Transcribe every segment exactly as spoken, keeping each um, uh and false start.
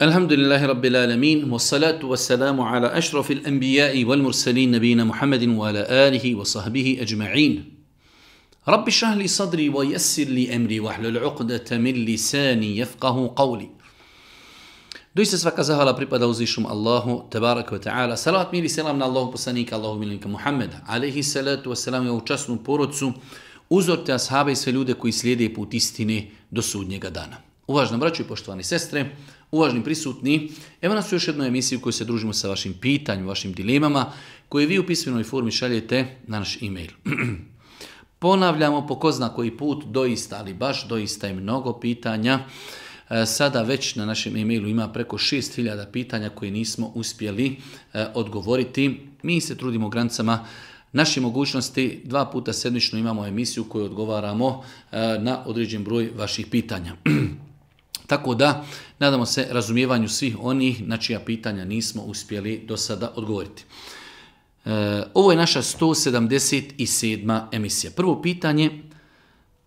Alhamdulillahi Rabbil Alamin, wa salatu wa salamu ala ašrafil anbiya'i wal mursalin nabina Muhammadin wa ala alihi wa sahbihi ajma'in. Rabbi šahli sadri wa yassir li emri wa hlul uqdata min lisani yafqahu qawli. Doista svaka zahvala pripada uzvišnom Allahu, tebaraka wa ta'ala. Salavat mir i selam na Allahu poslanika, Allahu miljenika Muhammeda, alaihi salatu wa salam i ovu časnu porodcu, uzorte ashabe i sve ljude koji slijede put istine do sudnjega dana. Uvažna braćo i poštovani sestre, uvažni prisutni, evo nas u još jednoj emisiji u kojoj se družimo sa vašim pitanjima, vašim dilemama, koje vi u pismenoj formi šaljete na naš e-mail. Ponavljamo po ko zna koji put, doista, ali baš doista je mnogo pitanja. Sada već na našem e-mailu ima preko šest hiljada pitanja koje nismo uspjeli odgovoriti. Mi se trudimo granicama naše mogućnosti, dva puta sedmično imamo emisiju koju odgovaramo na određen broj vaših pitanja. Tako da, nadamo se razumijevanju svih onih na čija pitanja nismo uspjeli do sada odgovoriti. E, ovo je naša sto sedamdeset sedma emisija. Prvo pitanje,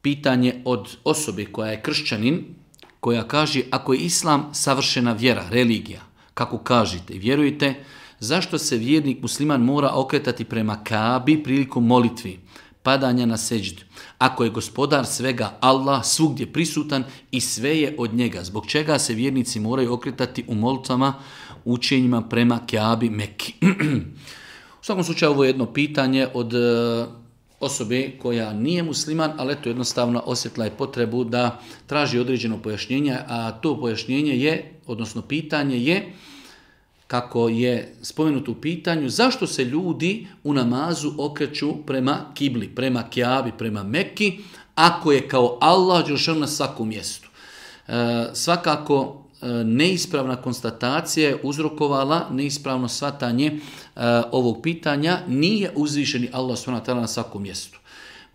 pitanje od osobe koja je kršćanin, koja kaže ako je islam savršena vjera, religija, kako kažete i vjerujete, zašto se vjernik musliman mora okretati prema Kabi prilikom molitvi, padanja na seđdu, ako je gospodar svega Allah svugdje prisutan i sve je od njega, zbog čega se vjernici moraju okretati u molitvama, učenjima prema Kabi Mekki. U svakom slučaju ovo je jedno pitanje od osobe koja nije musliman, ali eto jednostavno osjetila je potrebu da traži određeno pojašnjenje, a to pojašnjenje je, odnosno pitanje je, kako je spomenuto u pitanju, zašto se ljudi u namazu okreću prema kibli, prema Kjabi, prema Mekki, ako je kao Allah dželešanu na svakom mjestu. E, svakako e, neispravna konstatacija je uzrokovala neispravno shvatanje e, ovog pitanja, nije uzvišeni Allah subhanahu wa ta'ala na svakom mjestu.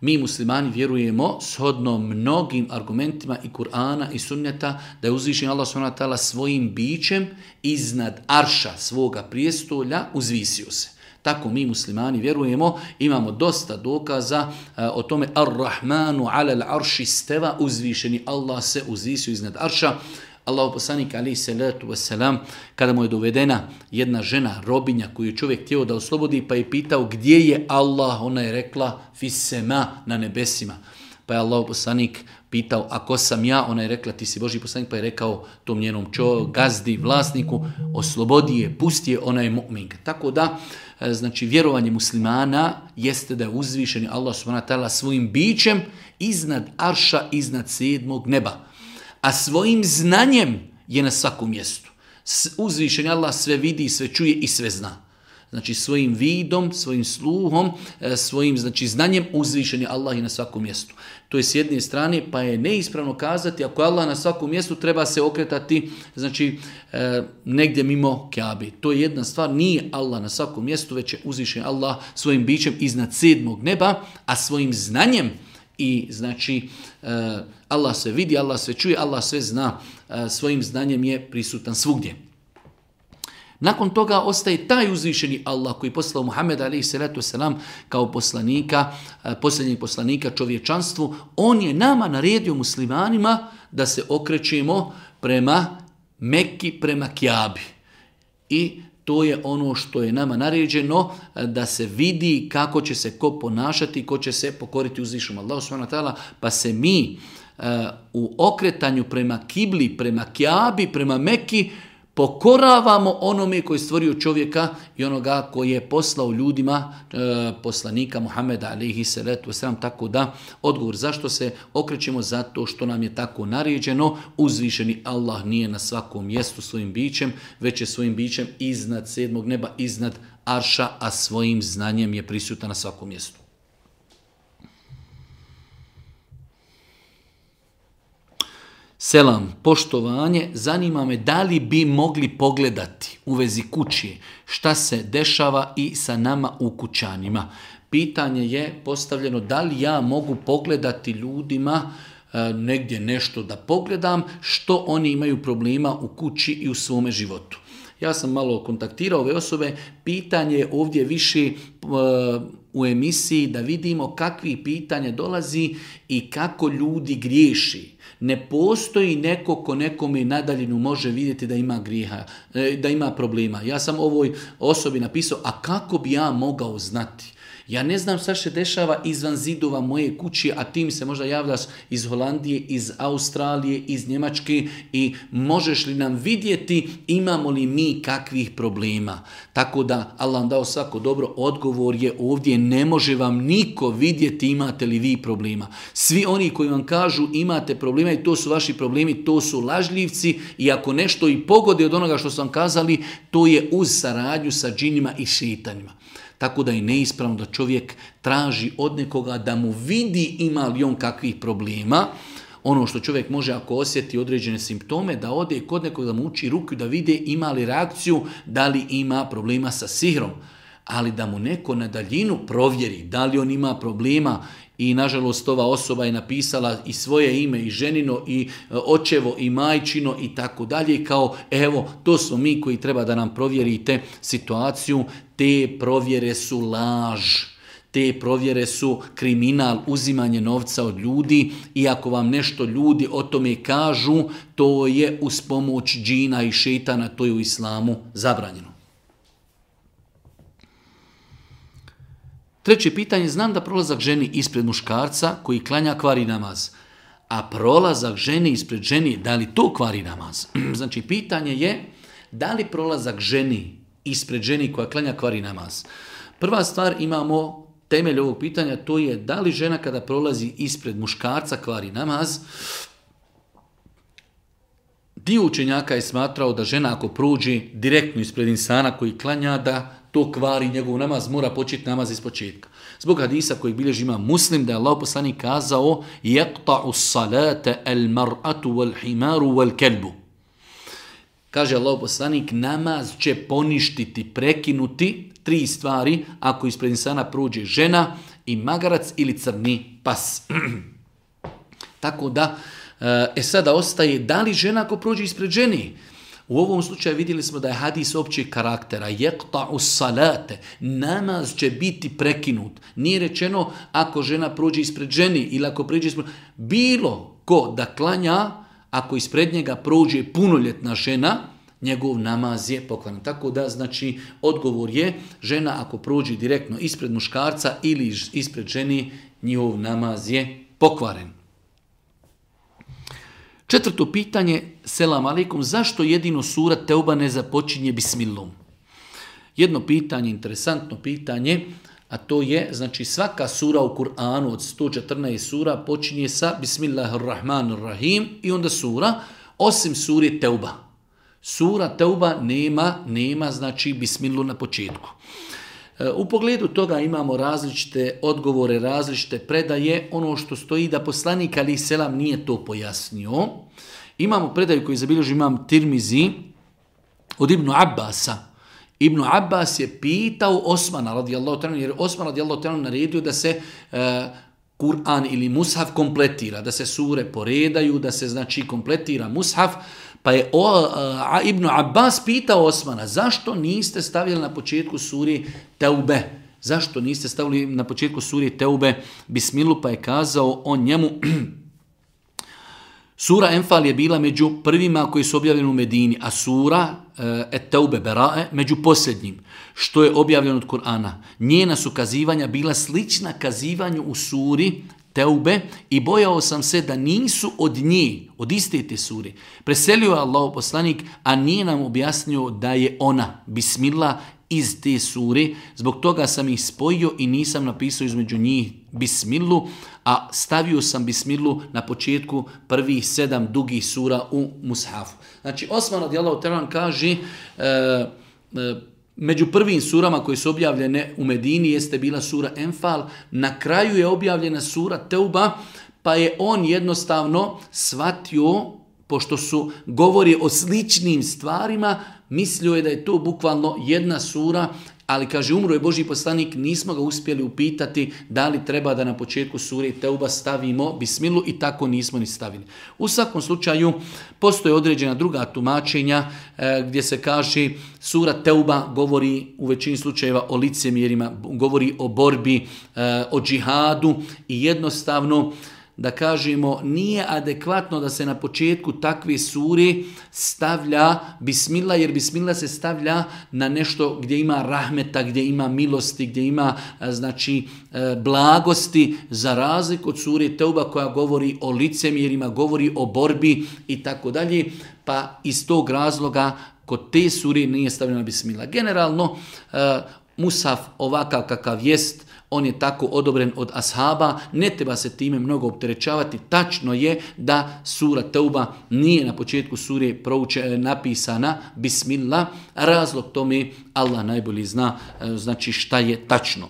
Mi muslimani vjerujemo shodno mnogim argumentima i Kur'ana i sunneta da je uzvišen Allah subhanahu wa ta'ala svojim bićem iznad arša svoga prijestolja uzvisio se. Tako mi muslimani vjerujemo, imamo dosta dokaza uh, o tome Ar-Rahmanu ala al-arši steva, uzvišeni Allah se uzvisio iznad arša. Allahu poslanik alejhi salatu vesselam, kada mu je dovedena jedna žena, robinja koju je čovjek htio da oslobodi, pa je pitao gdje je Allah, ona je rekla fisema, na nebesima. Pa je Allahu poslanik pitao ako sam ja, ona je rekla ti si Božji poslanik, pa je rekao tom njenom čo, gazdi, vlasniku, oslobodi je, pusti je, ona je mu'minka. Tako da, znači vjerovanje muslimana jeste da je uzvišeni Allah subhanahu wa ta'ala svojim bićem iznad arša, iznad sedmog neba. A svojim znanjem je na svakom mjestu. Uzvišeni Allah sve vidi, sve čuje i sve zna. Znači svojim vidom, svojim sluhom, svojim znači, znanjem uzvišeni Allah je na svakom mjestu. To je s jedne strane, pa je neispravno kazati ako je Allah na svakom mjestu treba se okretati znači, negdje mimo Kjabe. To je jedna stvar, nije Allah na svakom mjestu, već je uzvišeni Allah svojim bićem iznad sedmog neba, a svojim znanjem i znači Allah sve vidi, Allah sve čuje, Allah sve zna, svojim znanjem je prisutan svugdje. Nakon toga ostaje taj uzvišeni Allah koji je poslao Muhameda alejhi salatu vesselam kao poslanika, posljednjeg poslanika čovječanstvu. On je nama naredio muslimanima da se okrećemo prema Mekki, prema Kjabi. I to je ono što je nama naređeno, da se vidi kako će se ko ponašati, ko će se pokoriti uzvišenom Allahu subhanahu wa ta'ala, pa se mi uh, u okretanju prema kibli, prema Kjabi, prema Mekki, pokoravamo onome koji je stvorio čovjeka i onoga koji je poslao ljudima e, poslanika Muhameda alejhi salatu vesselam. Tako da odgovor zašto se okrećemo, zato što nam je tako naređeno. Uzvišeni Allah nije na svakom mjestu svojim bićem, već je svojim bićem iznad sedmog neba, iznad arša, a svojim znanjem je prisutan na svakom mjestu. Selam, poštovanje, zanima me da li bi mogli pogledati u vezi kući šta se dešava i sa nama u kućanima. Pitanje je postavljeno da li ja mogu pogledati ljudima e, negdje nešto da pogledam što oni imaju problema u kući i u svome životu. Ja sam malo kontaktirao ove osobe, pitanje je ovdje više e, u emisiji da vidimo kakvi pitanja dolazi i kako ljudi griješi. Ne postoji neko ko nekome na daljinu može vidjeti da ima grijeha, da ima problema. Ja sam ovoj osobi napisao, a kako bi ja mogao znati? Ja ne znam šta se dešava izvan zidova moje kuće, a ti mi se možda javljaš iz Holandije, iz Australije, iz Njemačke i možeš li nam vidjeti imamo li mi kakvih problema. Tako da, Allah vam dao svako dobro, odgovor je ovdje, ne može vam niko vidjeti imate li vi problema. Svi oni koji vam kažu imate problema i to su vaši problemi, to su lažljivci i ako nešto i pogode od onoga što sam kazali, to je uz saradnju sa džinima i šeitanima. Tako da je neispravno da čovjek traži od nekoga da mu vidi ima li on kakvih problema. Ono što čovjek može ako osjeti određene simptome, da ode kod nekoga da mu uči ruku da vide ima li reakciju, da li ima problema sa sihrom. Ali da mu neko na daljinu provjeri da li on ima problema i nažalost ova osoba je napisala i svoje ime i ženino i očevo i majčino i tako dalje kao evo to smo mi koji treba da nam provjerite situaciju. Te provjere su laž. Te provjere su kriminal, uzimanje novca od ljudi i ako vam nešto ljudi o tome kažu, to je uz pomoć džina i šejtana, to je u islamu zabranjeno. Treće pitanje, znam da prolazak ženi ispred muškarca koji klanja kvari namaz, a prolazak ženi ispred ženi, da li to kvari namaz? Znači, pitanje je, da li prolazak ženi ispred ženi koja klanja kvari namaz? Prva stvar, imamo temelj ovog pitanja, to je da li žena kada prolazi ispred muškarca kvari namaz. Dio učenjaka je smatrao da žena ako prođe direktno ispred insana koji klanja, da to kvari njegov namaz, mora početi namaz iz početka. Zbog hadisa kojeg bilježi Imam Muslim, da je Allah poslanik kazao yaqta'u salata al-mar'atu wal-himaru wal-kelbu. Kaže Allah poslanik, namaz će poništiti, prekinuti tri stvari ako ispred insana prođe žena i magarac ili crni pas. Tako da, e sada ostaje, da li žena ako prođe ispred ženi? U ovom slučaju vidjeli smo da je hadis općeg karaktera. Yaqta'u salate. Namaz će biti prekinut. Nije rečeno ako žena prođe ispred ženi ili ako prođe ispred... Bilo ko da klanja, ako ispred njega prođe punoljetna žena, njegov namaz je pokvaren. Tako da, znači, odgovor je žena ako prođe direktno ispred muškarca ili ispred ženi, njihov namaz je pokvaren. Četvrto pitanje, selam alejkum, zašto jedino sura Teuba ne započinje bismillom? Jedno pitanje, interesantno pitanje, a to je, znači svaka sura u Kur'anu od sto četrnaest sura počinje sa Bismillahirrahmanirrahim i onda sura, osim sure Teuba. Sura Teuba nema, nema znači bismillu na početku. U pogledu toga imamo različite odgovore, različite predaje. Ono što stoji da poslanik alejhi selam nije to pojasnio. Imamo predaju koju zabilježi Imam Tirmizi od Ibnu Abbasa. Ibnu Abbas je pitao Osmana radijallahu ta'ala, jer Osman radijallahu ta'ala naredio da se uh, Kur'an ili mushaf kompletira, da se sure poredaju, da se znači kompletira mushaf. Pa je o, a, Ibnu Abbas pitao Osmana, zašto niste stavili na početku suri Teube? Zašto niste stavili na početku suri Teube bismilu? Pa je kazao on njemu, sura Enfal je bila među prvima koji su objavljeni u Medini, a sura Et Teube Berae među posljednjim, što je objavljeno od Kur'ana. Njena su kazivanja bila slična kazivanju u suri Teube i bojao sam se da nisu od nje, od iste te sure. Preselio je Allahov poslanik, a nije nam objasnio da je ona, bismillah, iz te sure. Zbog toga sam ih spojio i nisam napisao između njih bismillu, a stavio sam bismillu na početku prvih sedam dugih sura u mushafu. Znači, Osman radijallahu ta'ala kaže, e, e, među prvim surama koje su objavljene u Medini jeste bila sura Enfal, na kraju je objavljena sura Teuba, pa je on jednostavno shvatio, pošto su govori o sličnim stvarima, mislio je da je to bukvalno jedna sura, ali kaže, umro je Božji poslanik, nismo ga uspjeli upitati da li treba da na početku sure Teuba stavimo bismilu i tako nismo ni stavili. U svakom slučaju, postoje određena druga tumačenja e, gdje se kaže sura Teuba govori u većini slučajeva o licemjerima, govori o borbi, e, o džihadu i jednostavno da kažemo, nije adekvatno da se na početku takve sure stavlja bismillah, jer bismillah se stavlja na nešto gdje ima rahmeta, gdje ima milosti, gdje ima znači blagosti, za razliku od sure Teuba koja govori o licemjerima, govori o borbi i tako dalje, pa iz tog razloga kod te sure nije stavljena bismillah. Generalno, Musaf ovakav kakav jest, on je tako odobren od ashaba, ne treba se time mnogo opterećavati. Tačno je da sura Teuba nije na početku sure prouče, napisana bismillah. Razlog tome Allah najbolji zna, znači šta je tačno.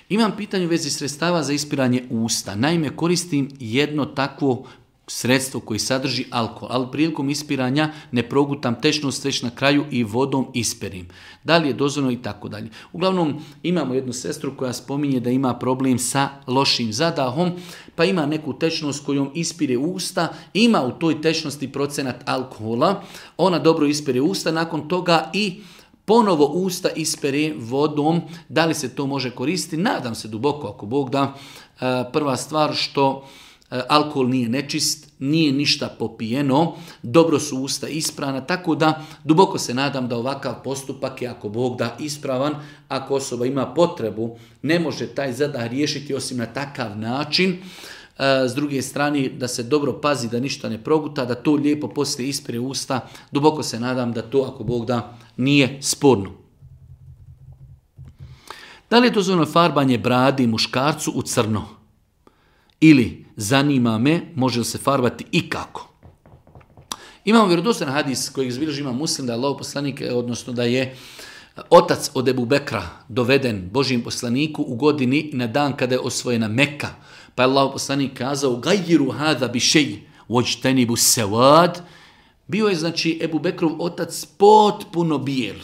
Imam pitanje u vezi sredstava za ispiranje usta. Naime, koristim jedno takvo sredstvo koji sadrži alkohol, ali prilikom ispiranja ne progutam tečnost, već na kraju i vodom isperim. Da li je dozvoljeno i tako dalje. Uglavnom, imamo jednu sestru koja spominje da ima problem sa lošim zadahom, pa ima neku tečnost kojom ispire usta, ima u toj tečnosti procenat alkohola, ona dobro ispire usta, nakon toga i ponovo usta ispere vodom. Da li se to može koristiti? Nadam se duboko, ako Bog da. Prva stvar što alkohol nije nečist, nije ništa popijeno, dobro su usta isprana, tako da duboko se nadam da ovakav postupak je, ako Bog da, ispravan. Ako osoba ima potrebu, ne može taj zadah riješiti osim na takav način. S druge strane, da se dobro pazi da ništa ne proguta, da to lijepo poslije ispire usta. Duboko se nadam da to, ako Bog da, nije sporno. Da li je dozvoljeno farbanje bradi muškarcu u crno? Ili, zanima me, može li se farbati i kako? Imamo vjerodostojan hadis kojeg zbilježi ima Muslim, da je Allahov poslanik, odnosno da je otac od Ebu Bekra doveden Božijem poslaniku u godini na dan kada je osvojena Mekka. Pa je Allahov poslanik kazao, gajjiru hada bi šeji, vođtenibu sevad. Bio je, znači, Ebu Bekrov otac potpuno bijel.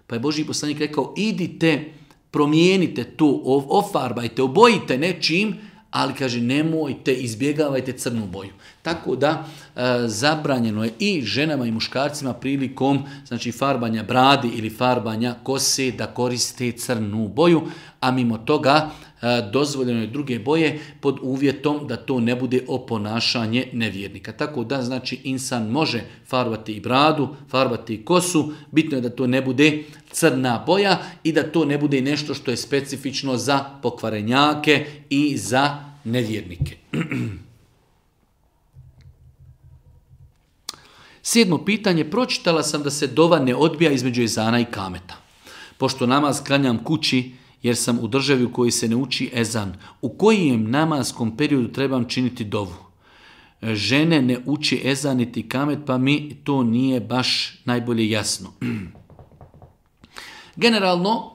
Pa je Božji poslanik rekao, idite, promijenite to, ofarbajte, obojite nečim, ali kaže nemojte, izbjegavajte crnu boju. Tako da e, zabranjeno je i ženama i muškarcima prilikom znači farbanja bradi ili farbanja kose da koriste crnu boju, a mimo toga e, dozvoljeno je druge boje pod uvjetom da to ne bude oponašanje nevjernika. Tako da znači insan može farbati i bradu, farbati i kosu, bitno je da to ne bude crna boja i da to ne bude nešto što je specifično za pokvarenjake i za nevjernike. Sedmo pitanje, pročitala sam da se dova ne odbija između ezana i kameta. Pošto namaz klanjam kući jer sam u državi u kojoj se ne uči ezan, u kojem namazskom periodu trebam činiti dovu? Žene ne uči ezan niti kamet, pa mi to nije baš najbolje jasno. Generalno,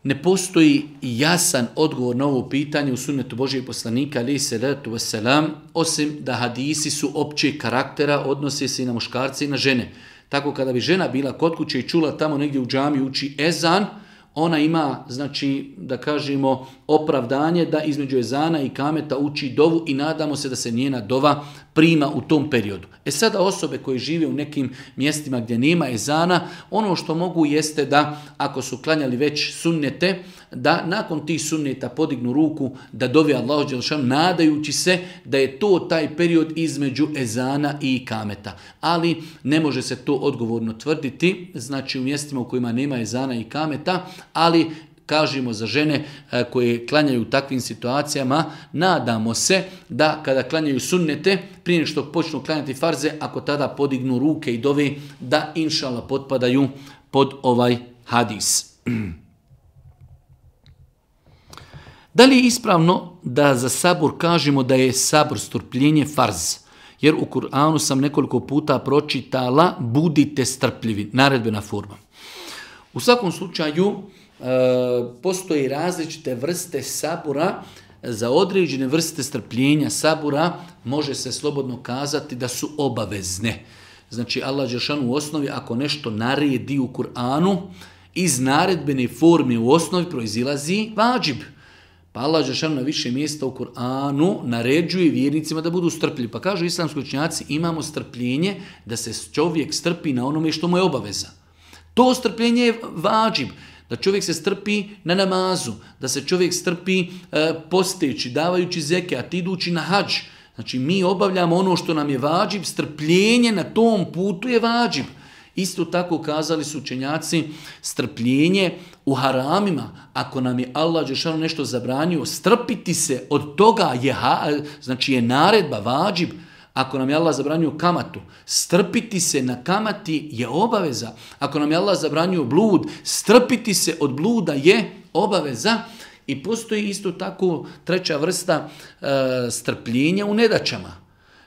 ne postoji jasan odgovor na ovo pitanje u sunnetu Božijeg poslanika, alejhi selatu vesselam, osim da hadisi su općeg karaktera, odnose se i na muškarce i na žene. Tako kada bi žena bila kod kuće i čula tamo negdje u džamiji uči ezan, ona ima, znači, da kažemo, opravdanje da između ezana i kameta uči dovu i nadamo se da se njena dova prima u tom periodu. E sada osobe koje žive u nekim mjestima gdje nema ezana, ono što mogu jeste da ako su klanjali već sunnete, da nakon tih sunneta podignu ruku da dovi Allahu dželešanu nadajući se da je to taj period između ezana i kameta. Ali ne može se to odgovorno tvrditi, znači u mjestima u kojima nema ezana i kameta, ali kažemo za žene koje klanjaju u takvim situacijama, nadamo se da kada klanjaju sunnete, prije što počnu klanjati farze, ako tada podignu ruke i dove, da inšallah potpadaju pod ovaj hadis. Da li je ispravno da za sabur kažemo da je sabur strpljenje farz? Jer u Kur'anu sam nekoliko puta pročitala budite strpljivi, naredbena forma. U svakom slučaju, postoji različite vrste sabura. Za određene vrste strpljenja sabura može se slobodno kazati da su obavezne. Znači Allah dželešanu u osnovi ako nešto naredi u Kur'anu, iz naredbene forme u osnovi proizilazi vađib. Pa Allah dželešanu na više mjesta u Kur'anu naređuje vjernicima da budu strpljivi. Pa kažu islamski učenjaci, imamo strpljenje da se čovjek strpi na onome što mu je obaveza. To strpljenje je vađib. Da čovjek se strpi na namazu, da se čovjek strpi e, posteći, davajući zekat, idući na hadž. Znači mi obavljamo ono što nam je vađib, strpljenje na tom putu je vađib. Isto tako kazali su učenjaci, strpljenje u haramima. Ako nam je Allah dželešanu nešto zabranio, strpiti se od toga je, znači je naredba, vađib. Ako nam je Allah zabranio kamatu, strpiti se na kamati je obaveza. Ako nam je Allah zabranio blud, strpiti se od bluda je obaveza. I postoji isto tako treća vrsta e, strpljenja u nedaćama.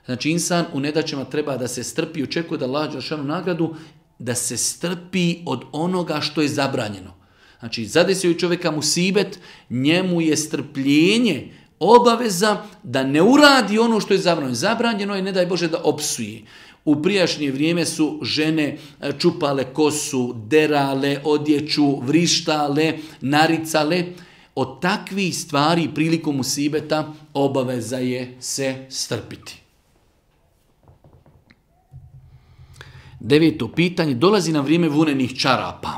Znači insan u nedaćama treba da se strpi i očekuje da Allah dželešanu nagradu, da se strpi od onoga što je zabranjeno. Znači zadesio je čovjeka musibet, njemu je strpljenje obaveza da ne uradi ono što je zabranjeno. Zabranjeno je, ne daj Bože, da opsuje. U prijašnje vrijeme su žene čupale kosu, derale odjeću, vrištale, naricale. Od takvih stvari prilikom musibeta obaveza je se strpiti. Deveto pitanje, dolazi na vrijeme vunenih čarapa.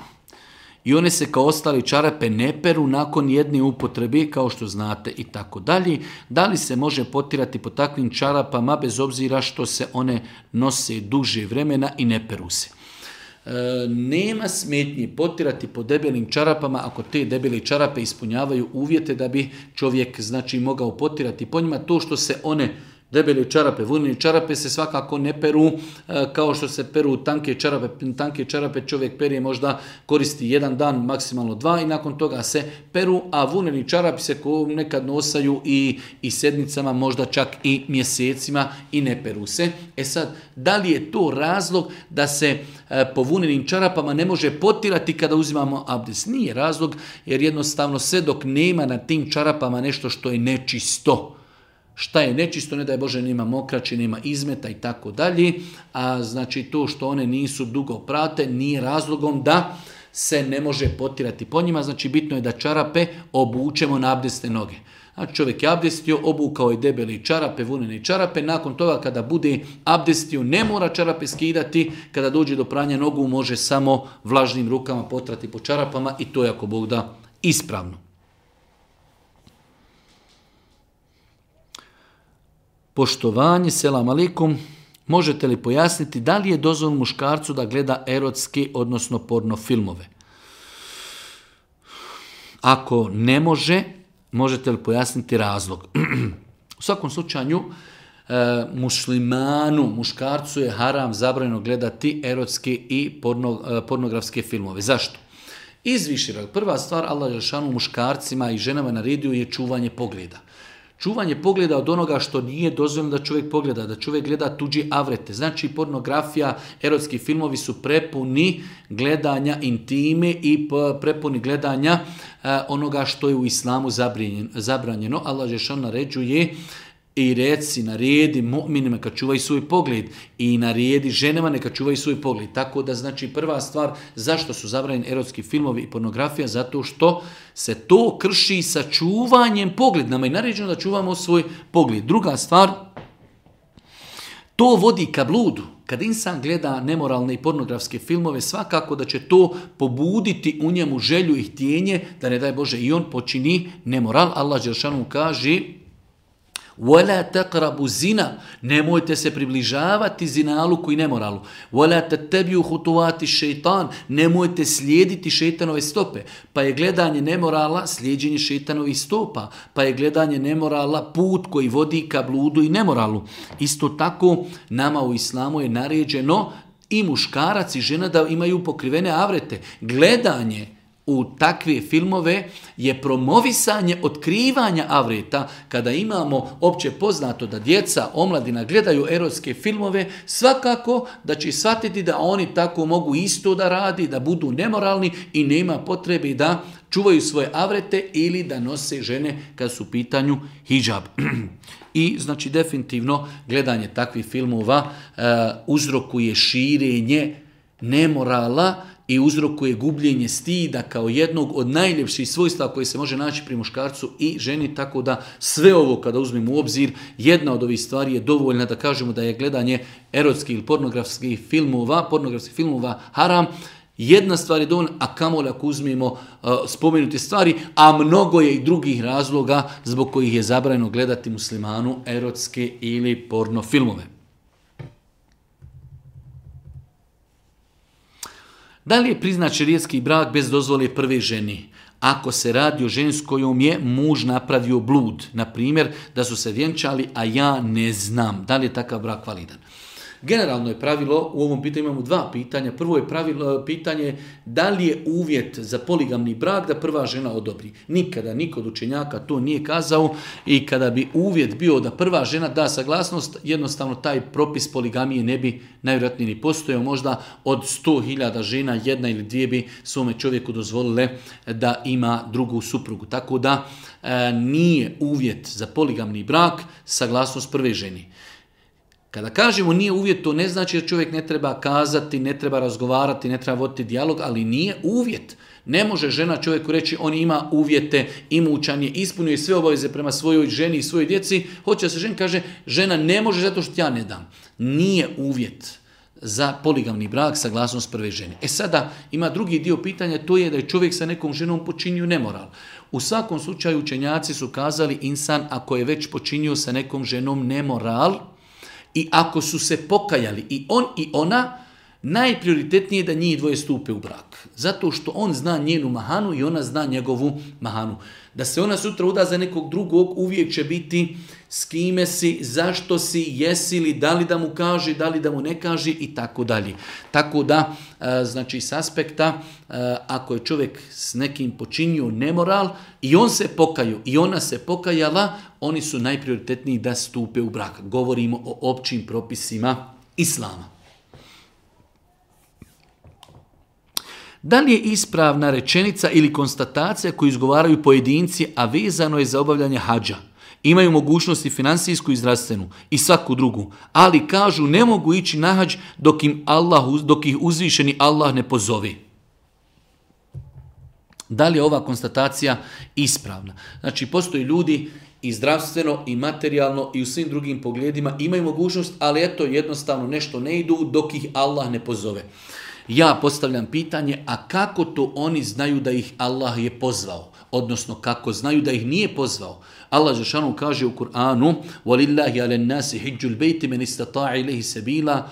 I one se kao ostali čarape ne peru nakon jedne upotrebe, kao što znate i tako dalje. Da li se može potirati po takvim čarapama bez obzira što se one nose duže vremena i ne peru se? E, nema smetnje potirati po debelim čarapama ako te debele čarape ispunjavaju uvjete da bi čovjek znači mogao potirati po njima. To što se one debele čarape, vunene čarape se svakako ne peru kao što se peru tanke čarape. Tanke čarape čovjek perije možda koristi jedan dan, maksimalno dva i nakon toga se peru, a vuneni čarapi se nekad nosaju i, i sedmicama, možda čak i mjesecima i ne peru se. E sad, da li je to razlog da se po vunenim čarapama ne može potirati kada uzimamo abdest? Nije razlog, jer jednostavno sve dok nema na tim čarapama nešto što je nečisto. Šta je nečisto, ne daj Bože, nema mokraće, nema izmeta i tako dalje, a znači to što one nisu dugo prate nije razlogom da se ne može potirati po njima. Znači bitno je da čarape obučemo na abdesne noge. Znači čovjek je abdestio, obukao je debeli čarape, vunene čarape, nakon toga kada bude abdestio ne mora čarape skidati, kada dođe do pranja nogu može samo vlažnim rukama potrati po čarapama i to je ako Bog da ispravno. Poštovanje, selam alejkum, možete li pojasniti da li je dozvoljeno muškarcu da gleda erotske, odnosno porno filmove? Ako ne može, možete li pojasniti razlog? U svakom slučaju, e, muslimanu, muškarcu je haram zabranjeno gledati erotske i porno, e, pornografske filmove. Zašto? Iz više razloga. Prva stvar, Allah dželešanu muškarcima i ženama naredio je čuvanje pogleda. Čuvanje pogleda od onoga što nije dozvoljeno da čovjek pogleda, da čovjek gleda tuđi avrete. Znači pornografija, erotski filmovi su prepuni gledanja intime i prepuni gledanja eh, onoga što je u islamu zabranjeno. Allah dželešanu naređuje i reci, naredi mu'minima neka čuvaju svoj pogled i naredi ženama neka čuvaju svoj pogled. Tako da znači prva stvar zašto su zabranjeni erotski filmovi i pornografija, zato što se to krši sa čuvanjem pogleda. Nama je naređeno da čuvamo svoj pogled. Druga stvar, to vodi ka bludu. Kad insan gleda nemoralne i pornografske filmove, svakako da će to pobuditi u njemu želju i htjenje da ne daj Bože i on počini nemoral. Allah dželešanu kaže: وَلَا تَقْرَبُ zina, nemojte se približavati zinaluku i nemoralu. وَلَا تَتَّبِيُوا خُطُوَاتِ šeitan, nemojte slijediti šeitanove stope. Pa je gledanje nemorala slijeđenje šeitanovih stopa, pa je gledanje nemorala put koji vodi ka bludu i nemoralu. Isto tako nama u islamu je naređeno i muškarac i žena da imaju pokrivene avrete. Gledanje u takve filmove je promovisanje otkrivanja avreta. Kada imamo opće poznato da djeca, omladina gledaju erotske filmove, svakako da će shvatiti da oni tako mogu isto da radi, da budu nemoralni i nema potrebe da čuvaju svoje avrete ili da nose žene kad su u pitanju hidžab. I znači definitivno gledanje takvih filmova uh, uzrokuje širenje nemorala i uzrokuje gubljenje stida kao jednog od najljepših svojstva koje se može naći pri muškarcu i ženi, tako da sve ovo kada uzmemo u obzir, jedna od ovih stvari je dovoljna da kažemo da je gledanje erotskih ili pornografskih filmova, pornografskih filmova haram. Jedna stvar je dovoljna, a kamoli ako uzmemo uh, spomenute stvari, a mnogo je i drugih razloga zbog kojih je zabranjeno gledati muslimanu erotske ili porno filmove. Da li je priznat šerijatski brak bez dozvole prve ženi? Ako se radi o ženi s kojom je muž napravio blud, na primjer da su se vjenčali, a ja ne znam, da li je takav brak validan? Generalno je pravilo, u ovom pitanju imamo dva pitanja. Prvo je pravilo, pitanje da li je uvjet za poligamni brak da prva žena odobri. Nikada niko od učenjaka to nije kazao i kada bi uvjet bio da prva žena da saglasnost, jednostavno taj propis poligamije ne bi najvjerojatnije ni postojao. Možda od sto hiljada žena jedna ili dvije bi svome čovjeku dozvolile da ima drugu suprugu. Tako da e, nije uvjet za poligamni brak saglasnost prve ženi. Kada kažemo nije uvjet, to ne znači da čovjek ne treba kazati, ne treba razgovarati, ne treba voditi dijalog, ali nije uvjet. Ne može žena čovjeku reći on ima uvjete, imućan je, ispunjuje sve obaveze prema svojoj ženi i svojoj djeci. Hoće da se žena kaže žena ne može zato što ja ne dam. Nije uvjet za poligamni brak saglasnost prve žene. E sada ima drugi dio pitanja, to je da je čovjek sa nekom ženom počinio nemoral. U svakom slučaju učenjaci su kazali insan ako je već počinio sa nekom ženom nemoral, i ako su se pokajali i on i ona, najprioritetnije je da njih dvoje stupe u brak. Zato što on zna njenu mahanu i ona zna njegovu mahanu. Da se ona sutra uda za nekog drugog, uvijek će biti s kime si, zašto si, jesi li, da li da mu kaže, da li da mu ne kaže i tako dalje. Tako da, znači s aspekta, ako je čovjek s nekim počinio nemoral i on se pokaju i ona se pokajala, oni su najprioritetniji da stupe u brak. Govorimo o općim propisima islama. Da li je ispravna rečenica ili konstatacija koju izgovaraju pojedinci, a vezano je za obavljanje hadža? Imaju mogućnosti finansijsku i zdravstvenu i svaku drugu, ali kažu ne mogu ići na hadž dok, im Allah, dok ih uzvišeni Allah ne pozove. Da li je ova konstatacija ispravna? Znači, postoji ljudi i zdravstveno i materijalno i u svim drugim pogledima imaju mogućnost, ali eto jednostavno nešto ne idu dok ih Allah ne pozove. Ja postavljam pitanje, a kako to oni znaju da ih Allah je pozvao? Odnosno, kako znaju da ih nije pozvao? Allah dželešanu kaže u Kur'anu وَلِلَّهِ عَلَى النَّاسِ حِجُّ الْبَيْتِ مَنِ اسْتَطَاعَ إِلَيْهِ سَبِيلًا.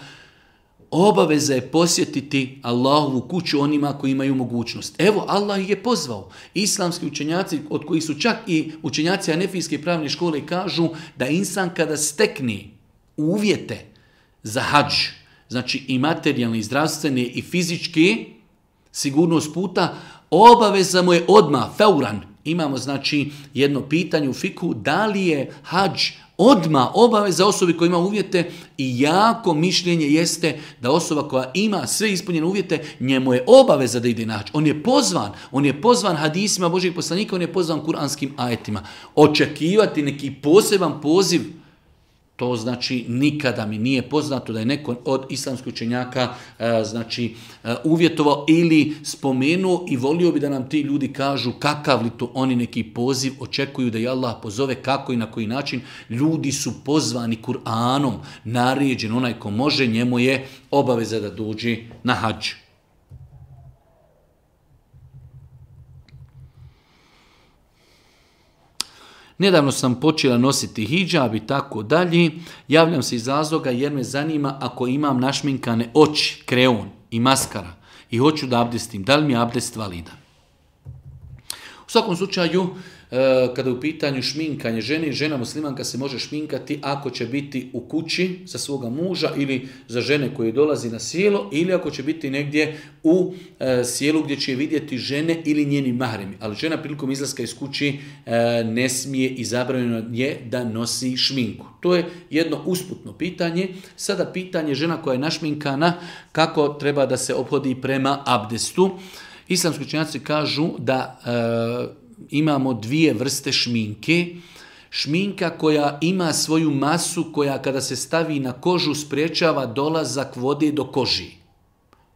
Obaveza je posjetiti Allahovu kuću onima koji imaju mogućnost. Evo, Allah ih je pozvao. Islamski učenjaci, od kojih su čak i učenjaci Hanefijske pravne škole, kažu da insan kada stekne uvjete za hadž, znači i materijalne, i zdravstvene, i fizičke, sigurnost puta, obaveza mu je odmah, feuran. Imamo znači jedno pitanje u fiku, da li je hadž odmah obaveza osobi koja ima uvjete i jako mišljenje jeste da osoba koja ima sve ispunjene uvjete, njemu je obaveza da ide na hadž. On je pozvan, on je pozvan hadisima Božijeg poslanika, on je pozvan kuranskim ajetima. Očekivati neki poseban poziv, to znači nikada mi nije poznato da je neko od islamskih učenjaka e, znači e, uvjetovao ili spomenuo i volio bi da nam ti ljudi kažu kakav li to oni neki poziv očekuju da je Allah pozove, kako i na koji način. Ljudi su pozvani Kur'anom, naređen, onaj ko može, njemu je obaveza da dođe na hadž. Nedavno sam počela nositi hidžab i tako dalje. Javljam se iz razloga jer me zanima ako imam našminkane oči, kreon i maskara i hoću da abdestim. Da li mi je abdest validan? U svakom slučaju, kada je u pitanju šminkanje žene, žena muslimanka se može šminkati ako će biti u kući za svoga muža ili za žene koje dolazi na sjelo ili ako će biti negdje u e, sjelu gdje će vidjeti žene ili njeni mahremi. Ali žena prilikom izlaska iz kući e, ne smije i zabranjeno je da nosi šminku. To je jedno usputno pitanje. Sada pitanje žena koja je našminkana, kako treba da se ophodi prema abdestu. Islamski učenjaci kažu da e, imamo dvije vrste šminke. Šminka koja ima svoju masu, koja kada se stavi na kožu sprečava dolazak vode do koži.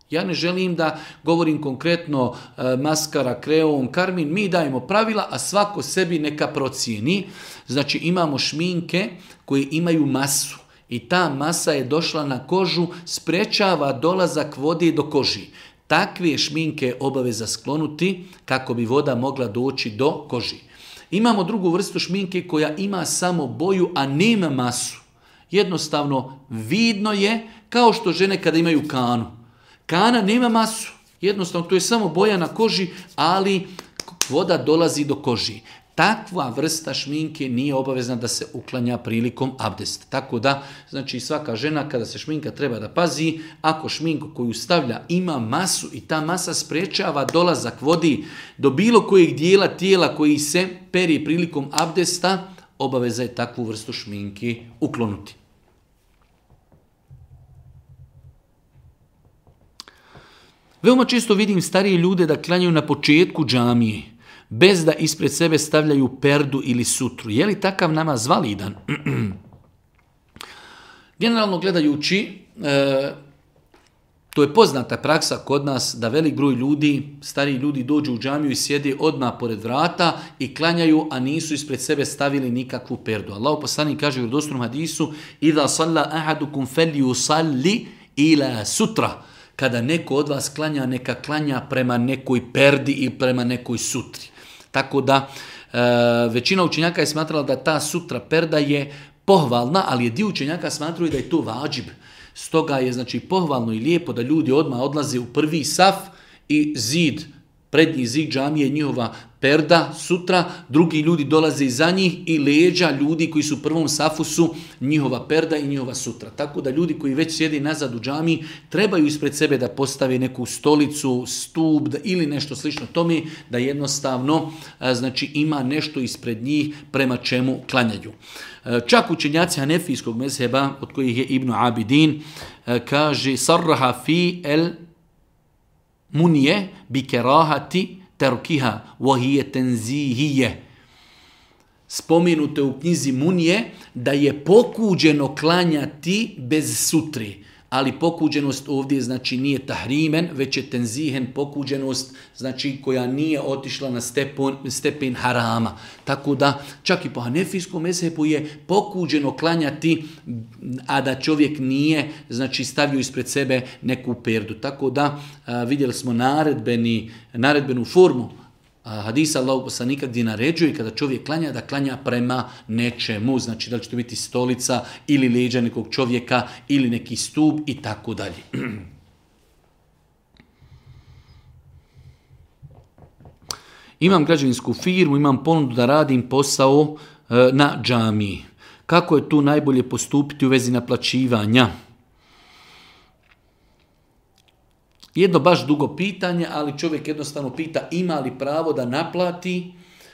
Ja ne želim da govorim konkretno e, maskara, kreon, karmin, mi dajemo pravila, a svako sebi neka procijeni. Znači imamo šminke koje imaju masu i ta masa je došla na kožu, sprečava dolazak vode do koži. Takve šminke obaveza sklonuti kako bi voda mogla doći do koži. Imamo drugu vrstu šminke koja ima samo boju, a nema masu. Jednostavno, vidno je kao što žene kada imaju kanu. Kana nema masu. Jednostavno, to je samo boja na koži, ali voda dolazi do koži. Takva vrsta šminke nije obavezna da se uklanja prilikom abdesta. Tako da, znači svaka žena kada se šminka treba da pazi, ako šminku koju stavlja ima masu i ta masa sprečava dolazak vodi do bilo kojeg dijela tijela koji se peri prilikom abdesta, obaveza je takvu vrstu šminke uklonuti. Veoma često vidim starije ljude da klanjaju na početku džamije, bez da ispred sebe stavljaju perdu ili sutru. Je li takav namaz validan? Generalno gledajući, e, to je poznata praksa kod nas da velik broj ljudi, stariji ljudi dođu u džamiju i sjede odmah pored vrata i klanjaju, a nisu ispred sebe stavili nikakvu perdu. Allahu poslanik kaže u vjerodostojnom hadisu: "Iza salla ahadukum falyusalli ila sutra." Kada neko od vas klanja, neka klanja prema nekoj perdi i prema nekoj sutri. Tako da e, većina učenjaka je smatrala da ta sutra perda je pohvalna, ali je dio učenjaka smatraju da je to vađib. Stoga je znači pohvalno i lijepo da ljudi odmah odlaze u prvi saf i zid, prednji zid džamije, njihova perda, sutra, drugi ljudi dolaze iza njih i leđa ljudi koji su u prvom safu su njihova perda i njihova sutra. Tako da ljudi koji već sjedi nazad u džamiji trebaju ispred sebe da postave neku stolicu, stup ili nešto slično tome, da jednostavno znači ima nešto ispred njih prema čemu klanjaju. Čak učenjaci hanefijskog mezheba, od kojih je Ibn Abidin, kaže sarraha fi el munije bi kerahati terkiha wahije tenzihije. Spomenuto u knjizi Munije da je pokuđeno klanjati bez sutri, ali pokuđenost ovdje znači nije tahrimen, već je tenzihen, pokuđenost znači koja nije otišla na stepen, stepen harama. Tako da čak i po hanefijskom mezhebu je pokuđeno klanjati, a da čovjek nije znači stavio ispred sebe neku perdu. Tako da a, vidjeli smo naredbeni, naredbenu formu hadisa Allahog poslanika gdje naređuje kada čovjek klanja da klanja prema nečemu, znači da li će to biti stolica ili leđa nekog čovjeka ili neki stup i tako dalje. Imam građevinsku firmu, imam ponudu da radim posao e, na džamiji. Kako je tu najbolje postupiti u vezi naplaćivanja? Jedno baš dugo pitanje, ali čovjek jednostavno pita ima li pravo da naplati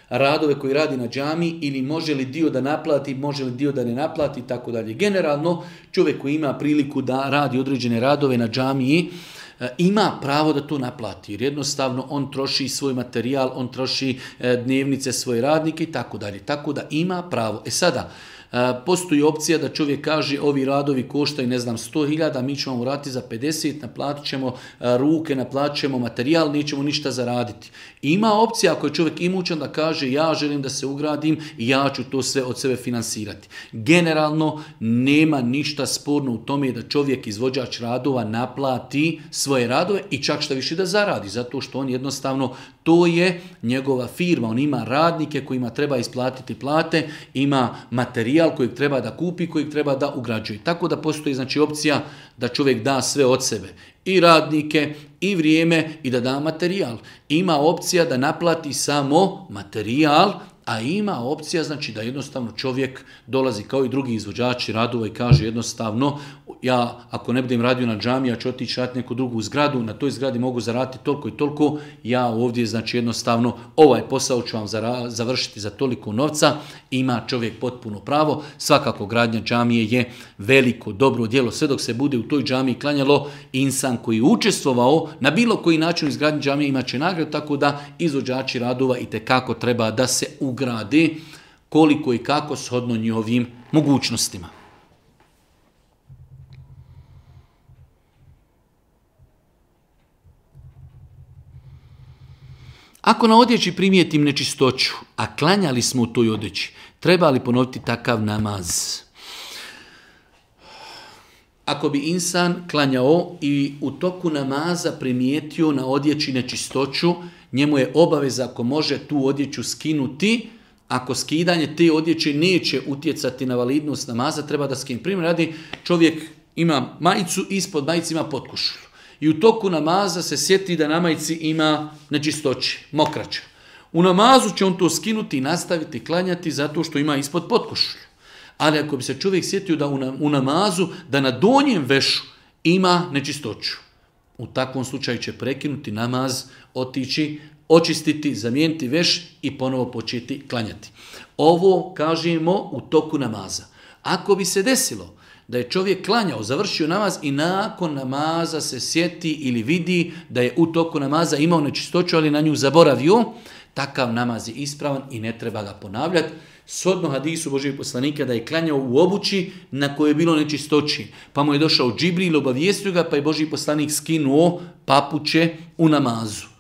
radove koji radi na džamiji ili može li dio da naplati, može li dio da ne naplati i tako dalje. Generalno čovjek koji ima priliku da radi određene radove na džamiji ima pravo da to naplati jer jednostavno on troši svoj materijal, on troši dnevnice svoje radnike i tako dalje. Tako da ima pravo. E sada, postoji opcija da čovjek kaže ovi radovi koštaju ne znam sto hiljada, mi ćemo mu raditi za pedeset, naplatit ćemo ruke, naplatit ćemo materijal, nećemo ništa zaraditi. Ima opcija ako je čovjek imućan da kaže ja želim da se ugradim i ja ću to sve od sebe finansirati. Generalno nema ništa sporno u tome da čovjek izvođač radova naplati svoje radove i čak šta više da zaradi, zato što on jednostavno to je njegova firma, on ima radnike kojima treba isplatiti plate, ima materijal kojeg treba da kupi, kojeg treba da ugrađuje. Tako da postoji znači opcija da čovjek da sve od sebe. I radnike, i vrijeme, i da da materijal. Ima opcija da naplati samo materijal, a ima opcija znači da jednostavno čovjek dolazi kao i drugi izvođači radova i kaže jednostavno ja ako ne budem radio na džamiji, ja ću otići raditi neku drugu zgradu, na toj zgradi mogu zaraditi toliko i toliko, ja ovdje znači jednostavno ovaj posao ću vam završiti za toliko novca, ima čovjek potpuno pravo. Svakako gradnja džamije je veliko dobro djelo, sve dok se bude u toj džamiji klanjalo insan koji je učestvovao na bilo koji način izgradnje džamije imat će nagradu, tako da izvođači radova itekako treba da se ugrade koliko i kako shodno njihovim mogućnostima. Ako na odjeći primijetim nečistoću, a klanjali smo u toj odjeći, treba li ponoviti takav namaz? ako bi insan klanjao i u toku namaza primijetio na odjeći nečistoću, njemu je obaveza ako može tu odjeću skinuti. Ako skidanje te odjeće neće utjecati na validnost namaza, treba da skine. Primjer radi, čovjek ima majicu, ispod majice ima potkošulju. I u toku namaza se sjeti da na majici ima nečistoće, mokraća. U namazu će on to skinuti i nastaviti klanjati zato što ima ispod potkošulju. Ali ako bi se čovjek sjetio da u namazu, da na donjem vešu ima nečistoću, u takvom slučaju će prekinuti namaz, otići, očistiti, zamijeniti veš i ponovo početi klanjati. Ovo kažemo u toku namaza. Ako bi se desilo da je čovjek klanjao, završio namaz i nakon namaza se sjeti ili vidi da je u toku namaza imao nečistoću, ali na nju zaboravio, takav namaz je ispravan i ne treba ga ponavljati. Shodno hadisu Božijeg poslanika da je klanjao u obući na kojoj je bilo nečistoći. Pa mu je došao Džibril, obavijestio ga, pa je Božji poslanik skinuo papuče u namazu.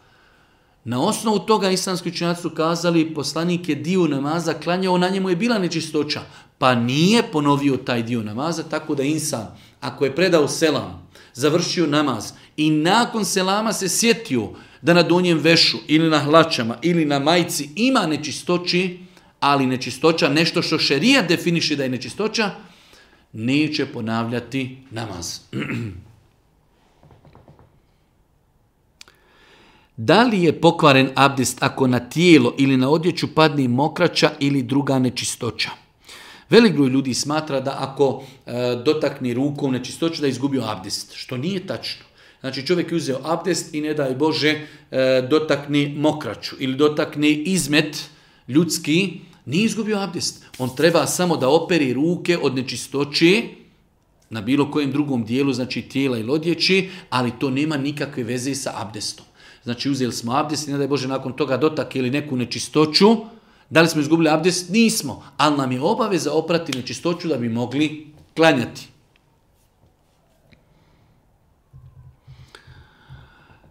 Na osnovu toga islamski učenjaci su kazali poslanik je dio namaza klanjao, na njemu je bila nečistoća, pa nije ponovio taj dio namaza, tako da insan, ako je predao selam, završio namaz i nakon selama se sjetio da na donjem vešu ili na hlačama ili na majici ima nečistoći, ali nečistoća, nešto što šerijat definiše da je nečistoća, neće ponavljati namaz. Da li je pokvaren abdest ako na tijelo ili na odjeću padne mokraća ili druga nečistoća? Velik broj ljudi smatra da ako e, dotakne rukom nečistoću da je izgubio abdest, što nije tačno. Znači čovjek je uzeo abdest i ne daj Bože e, dotakne mokraću ili dotakne izmet ljudski, nije izgubio abdest. On treba samo da operi ruke od nečistoće na bilo kojem drugom dijelu, znači tijela ili odjeći, ali to nema nikakve veze sa abdestom. Znači uzeli smo abdest i ne daj Bože nakon toga dotak ili neku nečistoću, da li smo izgubili abdest? Nismo, ali nam je obaveza oprati nečistoću da bi mogli klanjati.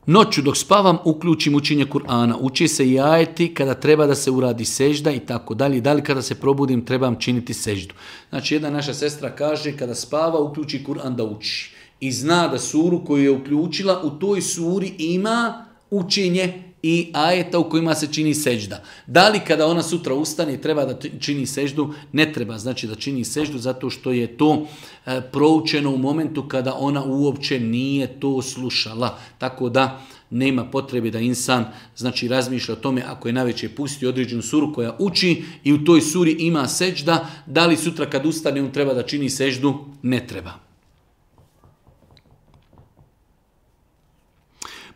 Noću dok spavam uključim učenje Kur'ana. Uči se i ajeti kada treba da se uradi sežda i tako dalje. Da li kada se probudim trebam činiti seždu. Znači jedna naša sestra kaže kada spava uključi Kur'an da uči. I zna da suru koju je uključila u toj suri ima učenje i ajeta u kojima se čini sežda. Da li kada ona sutra ustane treba da čini seždu? Ne treba znači da čini seždu zato što je to e, proučeno u momentu kada ona uopće nije to slušala. Tako da nema potrebe da insan znači razmišlja o tome ako je navečer pustio određenu suru koja uči i u toj suri ima sežda, da li sutra kad ustane on treba da čini seždu? Ne treba.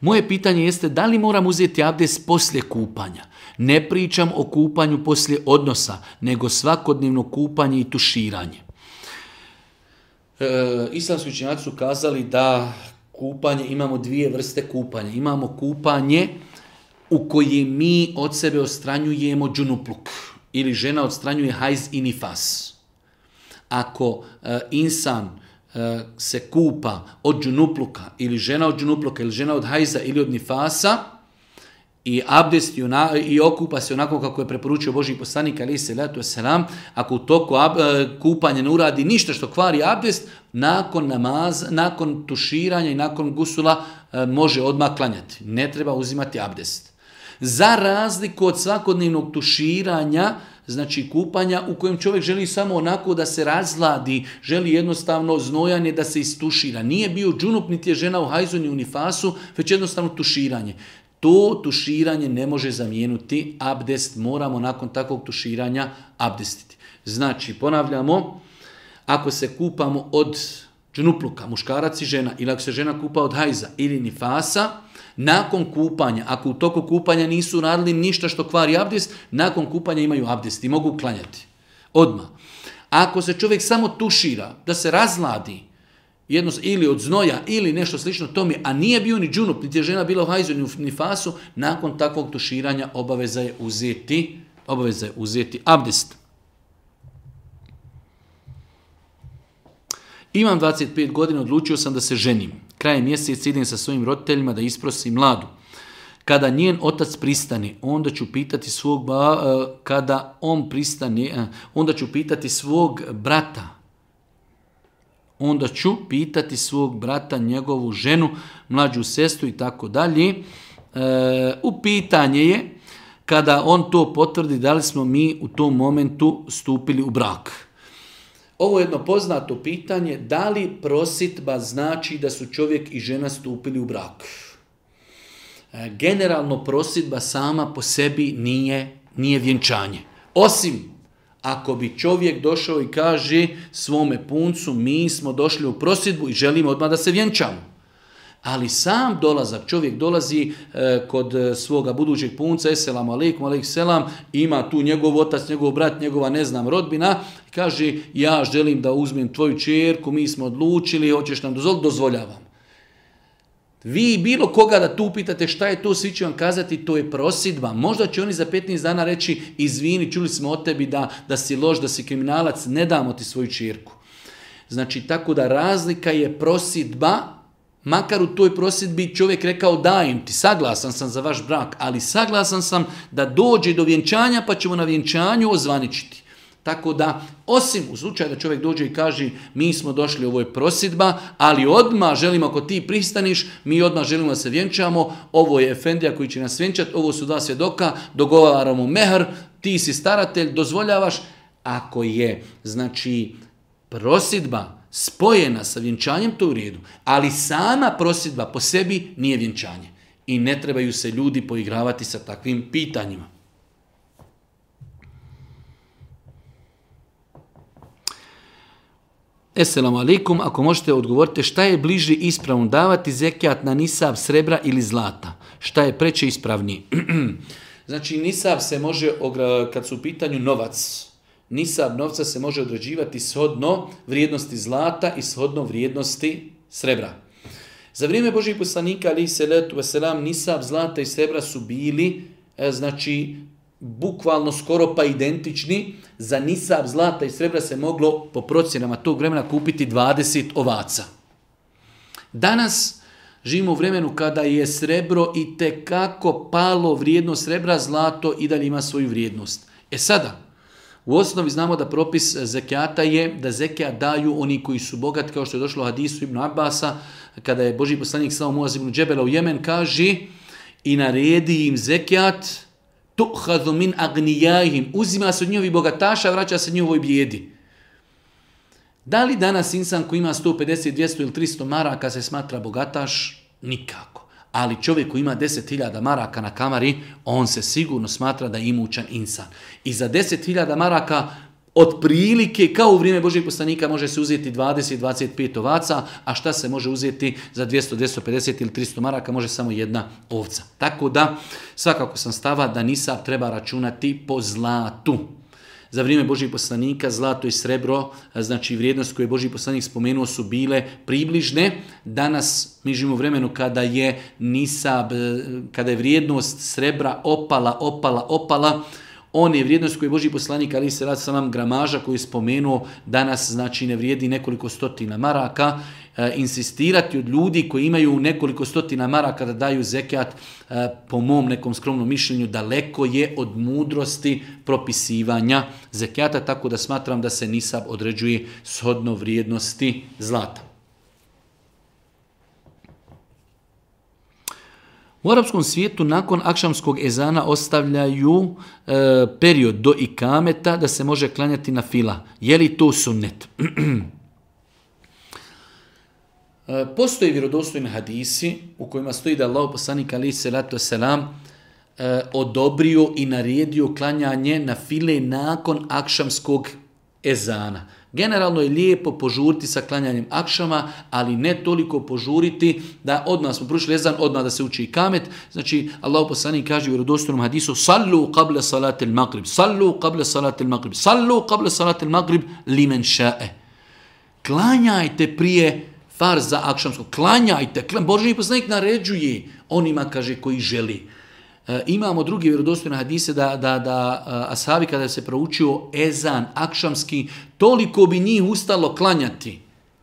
Moje pitanje jeste da li moram uzeti abdest poslije kupanja. Ne pričam o kupanju poslije odnosa, nego svakodnevno kupanje i tuširanje. E, islamski učenjaci su kazali da kupanje, imamo dvije vrste kupanja. Imamo kupanje u kojem mi od sebe odstranjujemo džunupluk ili žena odstranjuje hajz i nifas. Ako e, insan se kupa od džunupluka ili žena od džunupluka ili žena od hajza ili od nifasa i abdest i, ona, i okupa se onako kako je preporučio Božji poslanik alejhi selatu vesselam, ako u toku ab, kupanja ne uradi ništa što kvari abdest, nakon namaza, nakon tuširanja i nakon gusula može odmah klanjati. Ne treba uzimati abdest. Za razliku od svakodnevnog tuširanja, znači kupanja u kojem čovjek želi samo onako da se razladi, želi jednostavno znojanje da se istušira. Nije bio džunup, niti je žena u hajzu ni u nifasu, već jednostavno tuširanje. To tuširanje ne može zamijeniti abdest, moramo nakon takvog tuširanja abdestiti. Znači, ponavljamo, ako se kupamo od džunupluka, muškarac i žena, ili ako se žena kupa od hajza ili nifasa, nakon kupanja, ako u toku kupanja nisu radili ništa što kvari abdest, nakon kupanja imaju abdest i mogu klanjati. Odmah. Ako se čovjek samo tušira, da se razladi, jedno, ili od znoja, ili nešto slično tome, a nije bio ni džunup, niti je žena bila u hajzu, ni u nifasu, nakon takvog tuširanja obaveza je uzeti, obaveza je uzeti abdest. Imam dvadeset pet godina, odlučio sam da se ženim. Krajem mjeseca idem sa svojim roditeljima da isprosim mladu. Kada njen otac pristane, onda ću pitati svog ba, kada on pristane, onda ću pitati svog brata. onda ću pitati svog brata, njegovu ženu, mlađu sestru i tako dalje. U pitanje je, kada on to potvrdi, da li smo mi u tom momentu stupili u brak. Ovo je jedno poznato pitanje, da li prositba znači da su čovjek i žena stupili u brak. Generalno prositba sama po sebi nije, nije vjenčanje. Osim ako bi čovjek došao i kaže svome puncu, mi smo došli u prositbu i želimo odmah da se vjenčamo. Ali sam dolazak, čovjek dolazi e, kod svoga budućeg punca, eselamu alaikum, alaikum selam, ima tu njegov otac, njegov brat, njegova ne znam rodbina, i kaže ja želim da uzmem tvoju čerku, mi smo odlučili, hoćeš nam dozvoliti, dozvoljavam. Vi bilo koga da tu pitate šta je to, svi će vam kazati to je prositba. Možda će oni za petnaest dana reći izvini, čuli smo od tebi da, da si loš, da si kriminalac, ne damo ti svoju čerku. Znači tako da razlika je prositba. Makar u toj prositbi čovjek rekao dajem ti, saglasan sam za vaš brak, ali saglasan sam da dođe do vjenčanja pa ćemo na vjenčanju ozvaničiti. Tako da, osim u slučaju da čovjek dođe i kaže mi smo došli, ovo je prositba, ali odmah želimo ako ti pristaniš, mi odmah želimo da se vjenčamo, ovo je efendija koji će nas vjenčati, ovo su dva svjedoka, dogovaramo mehr, ti si staratelj, dozvoljavaš. Ako je, znači, prositba spojena sa vjenčanjem, to je u redu. Ali sama prositba po sebi nije vjenčanje. I ne trebaju se ljudi poigravati sa takvim pitanjima. Esselamu alaikum, ako možete odgovoriti šta je bliži ispravno davati zekijat na nisab srebra ili zlata? Šta je preče ispravniji? Znači nisab se može, kad su u pitanju novac, nisab novca se može određivati shodno vrijednosti zlata i shodno vrijednosti srebra. Za vrijeme Božih poslanika, alejhi selatu vesselam, nisab zlata i srebra su bili, znači, bukvalno skoro pa identični. Za nisab zlata i srebra se moglo po procjenama tog vremena kupiti dvadeset ovaca. Danas živimo u vremenu kada je srebro i tekako palo vrijednost srebra, zlato i dalje ima svoju vrijednost. E sada, u osnovi znamo da propis zekijata je da zekijat daju oni koji su bogati, kao što je došlo u hadisu Ibn Abasa, kada je Božji poslanik slao Muaz ibn Džebela u Jemen, kaže i naredi im zekijat, tu'hadhu min agnijahim, uzima se od njihovih bogataša, vraća se njihovoj bijedi. Da li danas insan koji ima sto pedeset, dvjesto ili tristo maraka se smatra bogataš? Nikako. Ali čovjek koji ima deset hiljada maraka na kamari, on se sigurno smatra da je imućan insan. I za deset hiljada maraka otprilike, kao u vrijeme Božjeg poslanika, može se uzeti dvadeset do dvadeset pet ovaca, a šta se može uzeti za dvjesto, dvjesto pedeset ili tristo maraka, može samo jedna ovca. Tako da, svakako sam stava da nisab treba računati po zlatu. Za vrijeme Božjih poslanika zlato i srebro, znači vrijednost koje je Božji poslanik spomenuo, su bile približne. Danas mi živimo u vremenu kada je nisab, kada je vrijednost srebra opala, opala, opala. On je vrijednost koju je Božji poslanik, ali se radi sa nam gramaža koju je spomenuo, danas znači ne vrijedi nekoliko stotina maraka. E, insistirati od ljudi koji imaju nekoliko stotina maraka da daju zekijat, e, po mom nekom skromnom mišljenju, daleko je od mudrosti propisivanja zekijata, tako da smatram da se nisab određuje shodno vrijednosti zlata. U arapskom svijetu nakon akšamskog ezana ostavljaju e, period do ikameta da se može klanjati na fila. Je li to sunnet? e, postoje vjerodostojni hadisi u kojima stoji da Allah poslanik alejhi selatu selam e, odobrio i naredio klanjanje na file nakon akšamskog ezana. Generalno je lijepo požuriti sa klanjanjem akšama, ali ne toliko požuriti da odmah smo prušili ezan, odmah da se uči ikamet. Znači, Allah poslanik kaže u vjerodostojnom hadisu: "Sallu qabla salatil maghrib, sallu qabla salatil maghrib, sallu qabla salatil maghrib limen ša'e." Klanjajte prije farza akšamskog, klanjajte. Božji poslanik naređuje onima, kaže, koji želi. E, imamo drugi vjerodostojne hadise da, da, da ashabi kada se proučio ezan akšamski, toliko bi njih ustalo klanjati,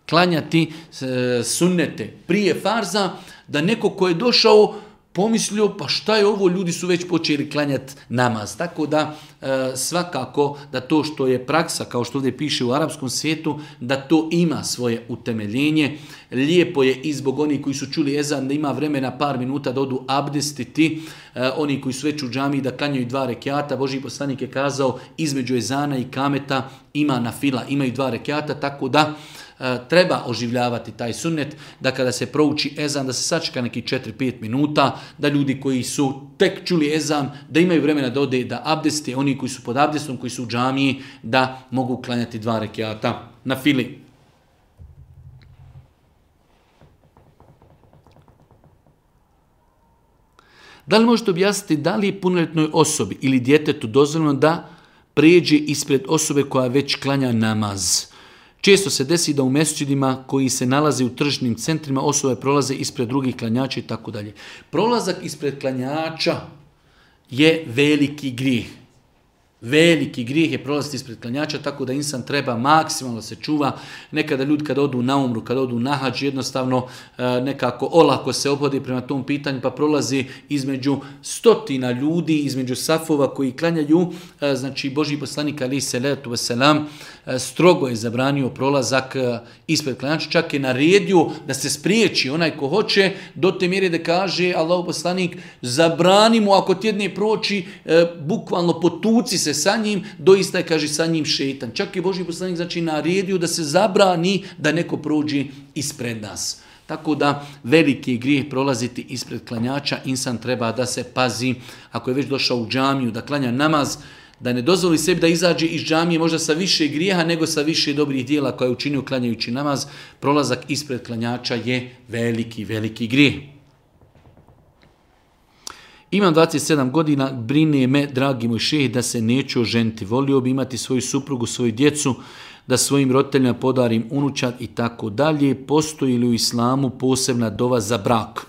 klanjati e, sunnete prije farza, da neko ko je došao pomislio, pa šta je ovo, ljudi su već počeli klanjati namaz. Tako da e, svakako da to što je praksa, kao što ovdje piše u arapskom svijetu, da to ima svoje utemeljenje. Lijepo je i zbog onih koji su čuli ezan da ima vremena par minuta da odu abdestiti, e, oni koji su već u džamiji da klanjaju dva rekiata. Božji poslanik je kazao između ezana i kameta ima nafila, imaju dva rekiata, tako da treba oživljavati taj sunnet, da kada se prouči ezan, da se sačeka neki četiri do pet minuta, da ljudi koji su tek čuli ezan, da imaju vremena da ode da abdeste, oni koji su pod abdestom, koji su u džamiji, da mogu klanjati dva rekiata na fili. Da li možete objasniti da li je punoljetnoj osobi ili djetetu dozvoljeno da pređe ispred osobe koja već klanja namaz? Često se desi da u mesdžidima koji se nalaze u tržnim centrima osobe prolaze ispred drugih klanjača i tako dalje. Prolazak ispred klanjača je veliki grijeh. Veliki grijeh je prolaziti ispred klanjača, tako da insan treba maksimalno se čuva. Nekada ljudi kada odu na umru, kada odu na hadž, jednostavno nekako olako se ophodi prema tom pitanju, pa prolazi između stotina ljudi, između safova koji klanjaju. Znači Božji poslanik alejhi selatu vesselam strogo je zabranio prolazak ispred klanjača, čak je naredio da se spriječi onaj ko hoće, do te mjere da kaže Allahov poslanik zabrani mu ako tjedne proći, bukvalno potuci se sa njim, doista je, kaže, sa njim šeitan. Čak je Božji poslanik znači naredio da se zabrani da neko prođe ispred nas. Tako da veliki je grijeh prolaziti ispred klanjača, insan treba da se pazi, ako je već došao u džamiju da klanja namaz, da ne dozvoli sebi da izađe iz džamije možda sa više grijeha nego sa više dobrih dijela koje je učinio klanjajući namaz. Prolazak ispred klanjača je veliki, veliki grijeh. Imam dvadeset sedam godina, brine me, dragi moj šejh, da se neću oženiti. Volio bi imati svoju suprugu, svoju djecu, da svojim roditeljima podarim unučad i tako dalje. Postoji li u islamu posebna dova za brak?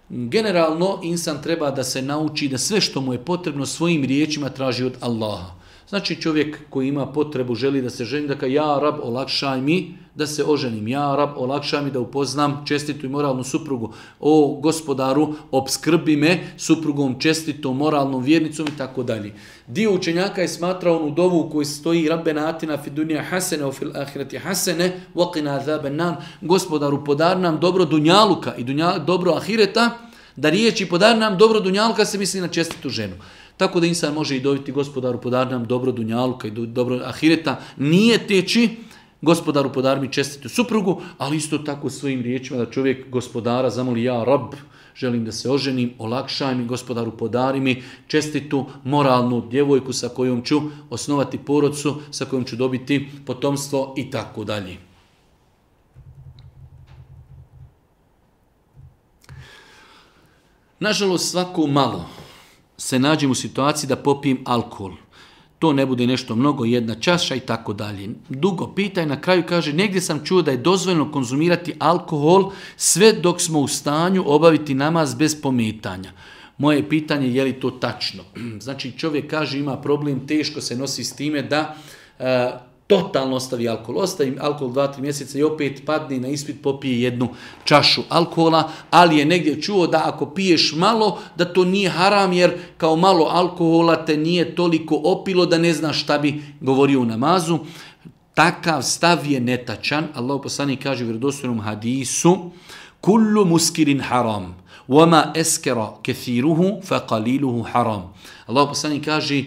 Generalno, insan treba da se nauči da sve što mu je potrebno svojim riječima traži od Allaha. Znači čovjek koji ima potrebu, želi da se ženi, da kaže ja rab olakšaj mi da se oženim, ja rab olakšaj mi da upoznam čestitu i moralnu suprugu, o gospodaru opskrbi me suprugom čestitom, moralnom vjernicom i tako dalje. Dio učenjaka je smatrao onu dovu u kojoj stoji Rabbena atina fid dunja hasene wa fil ahireti hasene wa qina azaban nar, gospodaru podari nam dobro dunjaluka i dunja, dobro ahireta, da riječi podari nam dobro dunjaluka se misli na čestitu ženu. Tako da insan može i dobiti gospodaru podari nam dobro dunjaluka i dobro ahireta, nije teći gospodaru podari mi čestitu suprugu, ali isto tako svojim riječima da čovjek gospodara zamoli ja rab, želim da se oženim, olakšaj mi, gospodaru podari mi čestitu moralnu djevojku sa kojom ću osnovati porodcu, sa kojom ću dobiti potomstvo i tako dalje. Nažalost, svako malo se nađem u situaciji da popijem alkohol. To ne bude nešto mnogo, jedna čaša i tako dalje. Dugo pita i na kraju kaže, negdje sam čuo da je dozvoljeno konzumirati alkohol sve dok smo u stanju obaviti namaz bez pometanja. Moje pitanje je li to tačno? Znači čovjek kaže ima problem, teško se nosi s time da e, totalno ostavi alkohol. Ostavi alkohol dva do tri mjeseca i opet padne na ispit, popije jednu čašu alkohola, ali je negdje čuo da ako piješ malo, da to nije haram, jer kao malo alkohola te nije toliko opilo da ne znaš šta bi govorio u namazu. Takav stav je netačan. Allah poslanik kaže u vjerodostojnom hadisu, kullu muskirin haram, wama eskera kethiruhu fa qaliluhu haram. Allah poslanik kaže,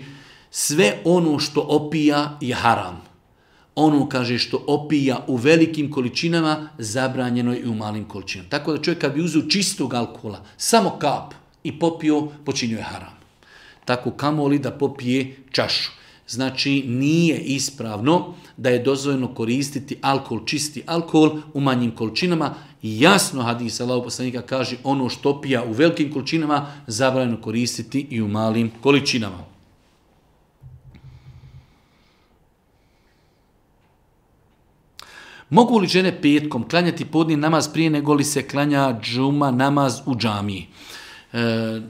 sve ono što opija je haram. Ono, kaže, što opija u velikim količinama, zabranjeno je i u malim količinama. Tako da čovjek kad bi uzeo čistog alkohola, samo kap i popio, počinio je haram. Tako kamoli da popije čašu. Znači nije ispravno da je dozvoljeno koristiti alkohol, čisti alkohol u manjim količinama. Jasno hadis Allahov poslanika kaže ono što opija u velikim količinama, zabranjeno koristiti i u malim količinama. Mogu li žene petkom klanjati podni namaz prije nego li se klanja džuma namaz u džamiji? E,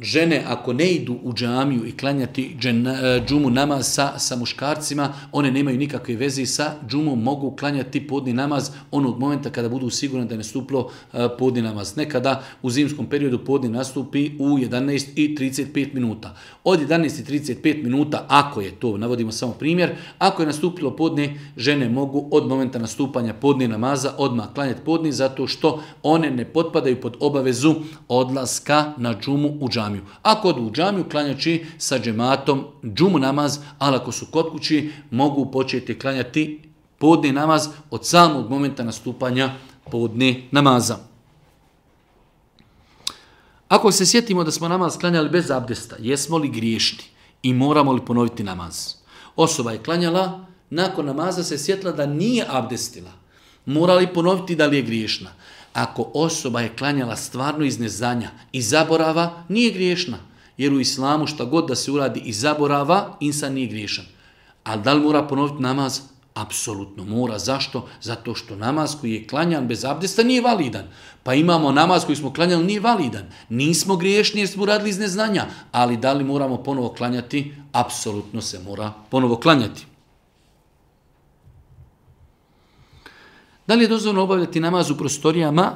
žene ako ne idu u džamiju i klanjati džena, džumu namaz sa, sa muškarcima, one nemaju nikakve veze sa džumom, mogu klanjati podni namaz onog momenta kada budu sigurni da je nastupilo podni namaz. Nekada u zimskom periodu podni nastupi u jedanaest i trideset pet minuta. Od jedanaest i trideset pet minuta, ako je to, navodimo samo primjer, ako je nastupilo podni, žene mogu od momenta nastupanja podni namaza odmah klanjati podni, zato što one ne potpadaju pod obavezu odlaska na džumu u džamiju. Ako odu u džamiju, klanjaći sa džematom džumu namaz, ali ako su kod kući, mogu početi klanjati podni namaz od samog momenta nastupanja podni namaza. Ako se sjetimo da smo namaz klanjali bez abdesta, jesmo li griješni i moramo li ponoviti namaz? Osoba je klanjala, nakon namaza se sjetila da nije abdestila. Mora li ponoviti da li je griješna? Ako osoba je klanjala stvarno iz neznanja i zaborava, nije griješna. Jer u islamu šta god da se uradi iz zaborava, insan nije griješan. Ali da li mora ponoviti namaz? Apsolutno mora. Zašto? Zato što namaz koji je klanjan bez abdesta nije validan. Pa imamo namaz koji smo klanjali nije validan. Nismo griješni jer smo uradili iz neznanja. Ali da li moramo ponovo klanjati? Apsolutno se mora ponovo klanjati. Da li je dozvoljeno obavljati namaz u prostorijama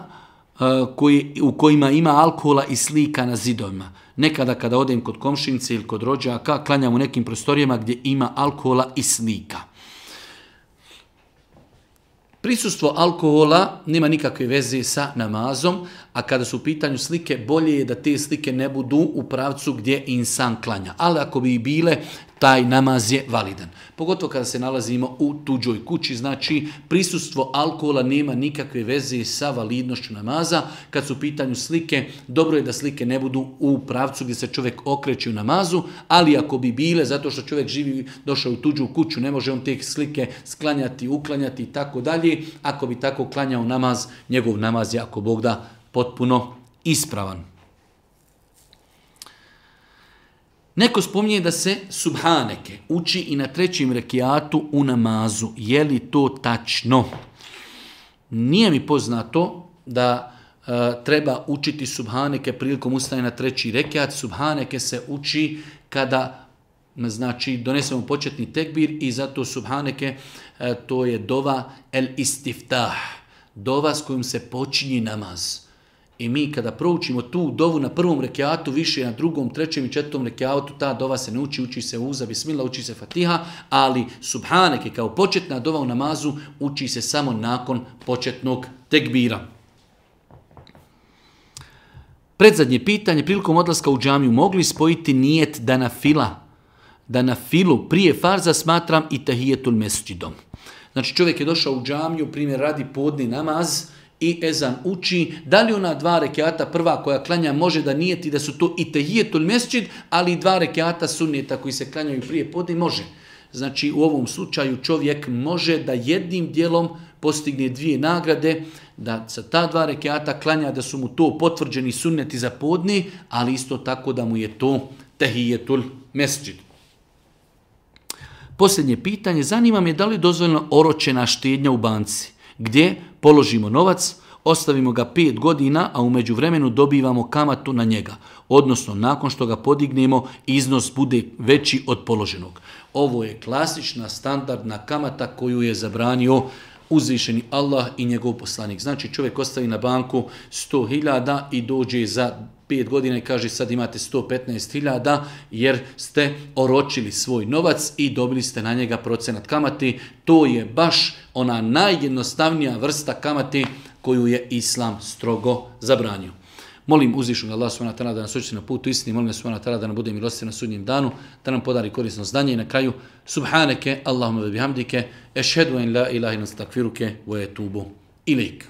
uh, koji, u kojima ima alkohola i slika na zidovima? Nekada kada odem kod komšinice ili kod rođaka, klanjam u nekim prostorijama gdje ima alkohola i slika. Prisustvo alkohola nema nikakve veze sa namazom, a kada su u pitanju slike, bolje je da te slike ne budu u pravcu gdje insan klanja. Ali ako bi i bile, taj namaz je validan. Pogotovo kada se nalazimo u tuđoj kući, znači prisustvo alkohola nema nikakve veze sa validnošću namaza. Kad su u pitanju slike, dobro je da slike ne budu u pravcu gdje se čovjek okreće u namazu, ali ako bi bile, zato što čovjek živi, došao u tuđu kuću, ne može on te slike sklanjati, uklanjati i tako dalje. Ako bi tako klanjao namaz, njegov namaz je, ako Bog da, potpuno ispravan. Neko spominje da se subhaneke uči i na trećem rekiatu u namazu. Je li to tačno? Nije mi poznato da e, treba učiti subhaneke prilikom ustajanja na treći rekiat. Subhaneke se uči kada, znači, donesemo početni tekbir i zato subhaneke e, to je dova el istiftah, dova s kojom se počinje namaz. I mi kada proučimo tu dovu na prvom rekiatu, više na drugom, trećem i četvrtom rekiatu, ta dova se ne uči, uči se uza, bismillah, uči se fatiha, ali subhaneke kao početna dova u namazu uči se samo nakon početnog tekbira. Predzadnje pitanje, prilikom odlaska u džamiju, mogli spojiti nijet da na fila, da na filu prije farza smatram i tahijetul mesđidom. Znači čovjek je došao u džamiju, primjer radi podni namaz, i ezan uči, da li ona dva rekiata prva koja klanja može da nijeti da su to i tahijetul mesđid, ali i dva rekiata sunneta koji se klanjaju prije podne može. Znači u ovom slučaju čovjek može da jednim dijelom postigne dvije nagrade, da sa ta dva rekiata klanja da su mu to potvrđeni sunneti za podne, ali isto tako da mu je to tahijetul mesđid. Posljednje pitanje, zanima me da li je dozvoljeno oročena štednja u banci, gdje položimo novac, ostavimo ga pet godina, a u međuvremenu dobivamo kamatu na njega. Odnosno, nakon što ga podignemo, iznos bude veći od položenog. Ovo je klasična standardna kamata koju je zabranio uzvišeni Allah i njegov poslanik. Znači, čovjek ostavi na banku sto hiljada i dođe za pet godina i kaže sad imate sto petnaest hiljada jer ste oročili svoj novac i dobili ste na njega procenat kamati. To je baš ona najjednostavnija vrsta kamati koju je Islam strogo zabranio. Molim uzvišenog Allah subhanahu wa ta'ala da nas učiti na putu istini, molim subhanahu wa ta'ala da nam bude milostiv na sudnjem danu, da nam podari korisno znanje i na kraju subhaneke Allahumma wa bihamdike ešhedu en la ilaha illa anta astaghfiruke wa etubu ilejk.